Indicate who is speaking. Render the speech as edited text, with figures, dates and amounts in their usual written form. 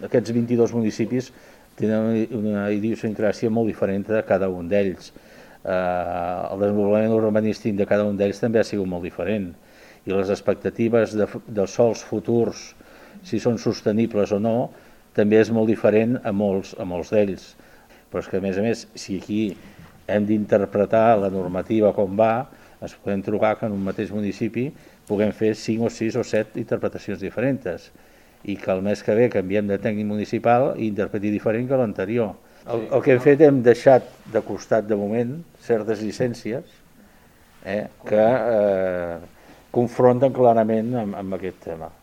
Speaker 1: aquests 22 municipis tenen una idiosincràsia molt diferent de cada un d'ells. El desenvolupament urbanístic de cada un d'ells també ha sigut molt diferent i les expectatives de sòls futurs, si són sostenibles o no, també és molt diferent a molts d'ells. Però és que, a més, si aquí hem d'interpretar la normativa com va, ens podem trobar que en un mateix municipi puguem fer 5 o 6 o 7 interpretacions diferents i que el mes que ve canviem de tècnic municipal i interpreti diferent que l'anterior. El que hem fet, hem deixat de costat de moment certes llicències que confronten clarament amb aquest tema.